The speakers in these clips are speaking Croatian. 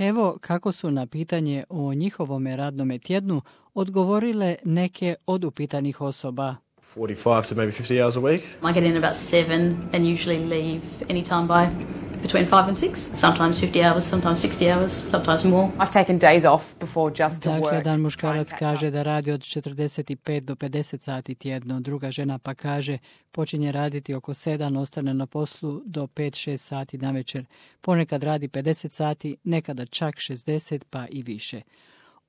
Evo kako su na pitanje o njihovom radnom tjednu odgovorile neke od upitanih osoba. 45 to maybe 50 hours a week. I get in about 7 and usually leave anytime by between 5 and 6. Sometimes 50 hours, sometimes 60 hours, sometimes more. I've taken days off before just to work. Dakle, jedan muškarac kaže da radi od 45 do 50 sati tjedno, druga žena pa kaže počinje raditi oko 7, ostane na poslu do 5-6 sati navečer. Ponekad radi 50 sati, nekada čak 60 pa i više.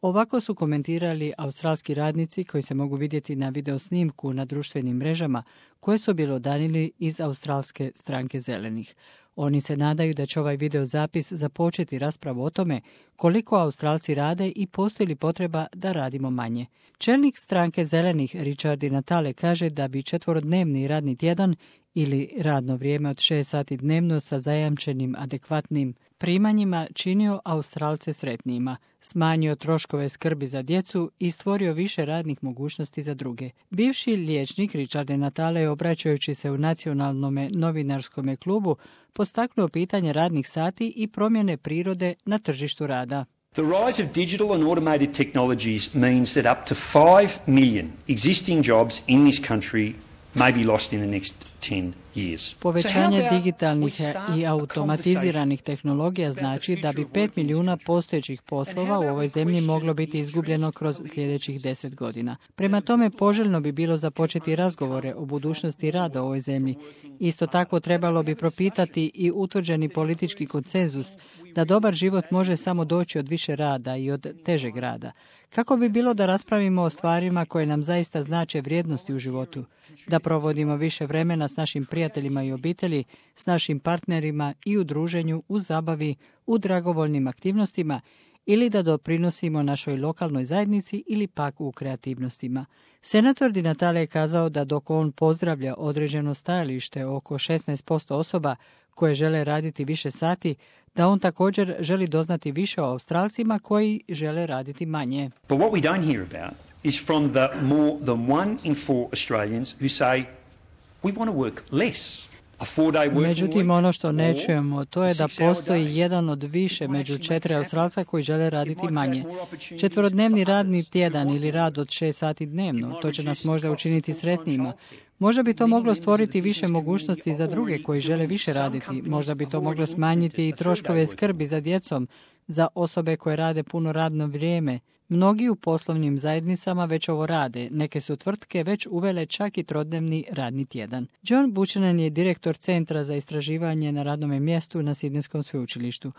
Ovako su komentirali australski radnici koji se mogu vidjeti na videosnimku na društvenim mrežama koje su bjelodanili iz Australske stranke zelenih. Oni se nadaju da će ovaj videozapis započeti raspravu o tome koliko Australci rade i postoji li potreba da radimo manje. Čelnik stranke zelenih Richard Di Natale kaže da bi 4-dnevni radni tjedan ili radno vrijeme od 6 sati dnevno sa zajamčenim adekvatnim primanjima činio Australce sretnijima, smanjio troškove skrbi za djecu i stvorio više radnih mogućnosti za druge. Bivši liječnik Richard Di Natale, obraćajući se u nacionalnom novinarskom klubu, postaknuo pitanje radnih sati i promjene prirode na tržištu rada. The rise of digital and automated technologies means that up to 5 million existing jobs in this country may be lost in the next 10 years. Povećanje digitalnih i automatiziranih tehnologija znači da bi 5 milijuna postojećih poslova u ovoj zemlji moglo biti izgubljeno kroz sljedećih 10 godina. Prema tome, poželjno bi bilo započeti razgovore o budućnosti rada u ovoj zemlji. Isto tako trebalo bi propitati i utvrđeni politički konsenzus da dobar život može samo doći od više rada i od težeg rada. Kako bi bilo da raspravimo o stvarima koje nam zaista znače vrijednosti u životu, da provodimo više vremena s našim prijateljima i obitelji, s našim partnerima i u druženju, u zabavi, u dragovoljnim aktivnostima ili da doprinosimo našoj lokalnoj zajednici ili pak u kreativnostima. Senator Di Natale je kazao da dok on pozdravlja određeno stajalište oko 16% osoba koje žele raditi više sati, da on također želi doznati više o Australcima koji žele raditi manje. But what we don't hear about is from the more than 1 in 4 Australians who say we want to work less. Međutim, ono što ne čujemo, to je da postoji jedan od više među 4 Australca koji žele raditi manje. 4-dnevni radni tjedan ili rad od 6 sati dnevno, to će nas možda učiniti sretnijima. Možda bi to moglo stvoriti više mogućnosti za druge koji žele više raditi. Možda bi to moglo smanjiti i troškove skrbi za djecom, za osobe koje rade puno radno vrijeme. Mnogi u poslovnim zajednicama već ovo rade. Neke su tvrtke već uvele čak i 3-dnevni radni tjedan. John Buchanan je direktor Centra za istraživanje na radnom mjestu na Sidnejskom sveučilištu.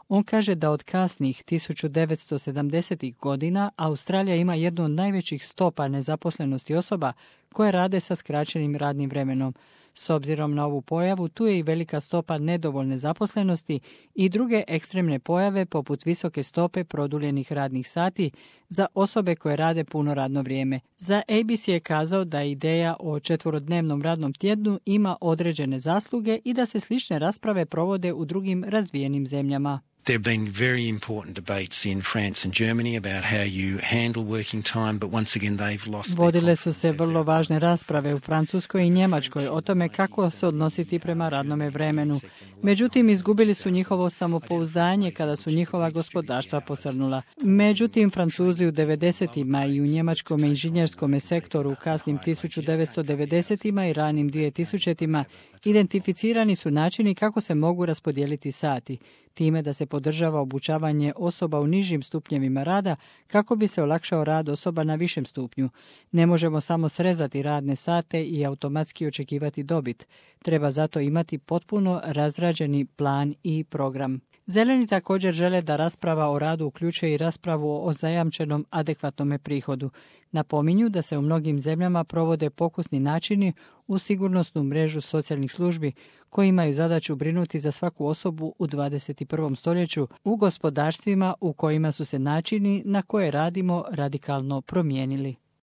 On kaže da od kasnih 1970. godina Australija ima jednu od najvećih stopa nezaposlenosti osoba koje rade sa skraćenim radnim vremenom. S obzirom na ovu pojavu, tu je i velika stopa nedovoljne zaposlenosti i druge ekstremne pojave poput visoke stope produljenih radnih sati za osobe koje rade puno radno vrijeme. Za ABC je kazao da ideja o 4-dnevnom radnom tjednu ima određene zasluge i da se slične rasprave provode u drugim razvijenim zemljama. There have been very important debates in France and Germany about how you handle working time, but once again they've lost. Vodile su se vrlo važne rasprave u Francuskoj i Njemačkoj o tome kako se odnositi prema radnome vremenu. Međutim, izgubili su njihovo samopouzdanje kada su njihova gospodarstva posrnula. Međutim, Francuzi u 90-ima i u njemačkom inženjerskom sektoru u kasnim 1990-ima i ranim 2000-ima identificirani su načini kako se mogu raspodijeliti sati, time da se podržava obučavanje osoba u nižim stupnjevima rada kako bi se olakšao rad osoba na višem stupnju. Ne možemo samo srezati radne sate i automatski očekivati dobit. Treba zato imati potpuno razrađeni plan i program. Zeleni također žele da rasprava o radu uključuje i raspravu o zajamčenom adekvatnom prihodu. Napominju da se u mnogim zemljama provode pokusni načini u sigurnosnu mrežu socijalnih službi koji imaju zadaću brinuti za svaku osobu u 21. stoljeću u gospodarstvima u kojima su se načini na koje radimo radikalno promijenili.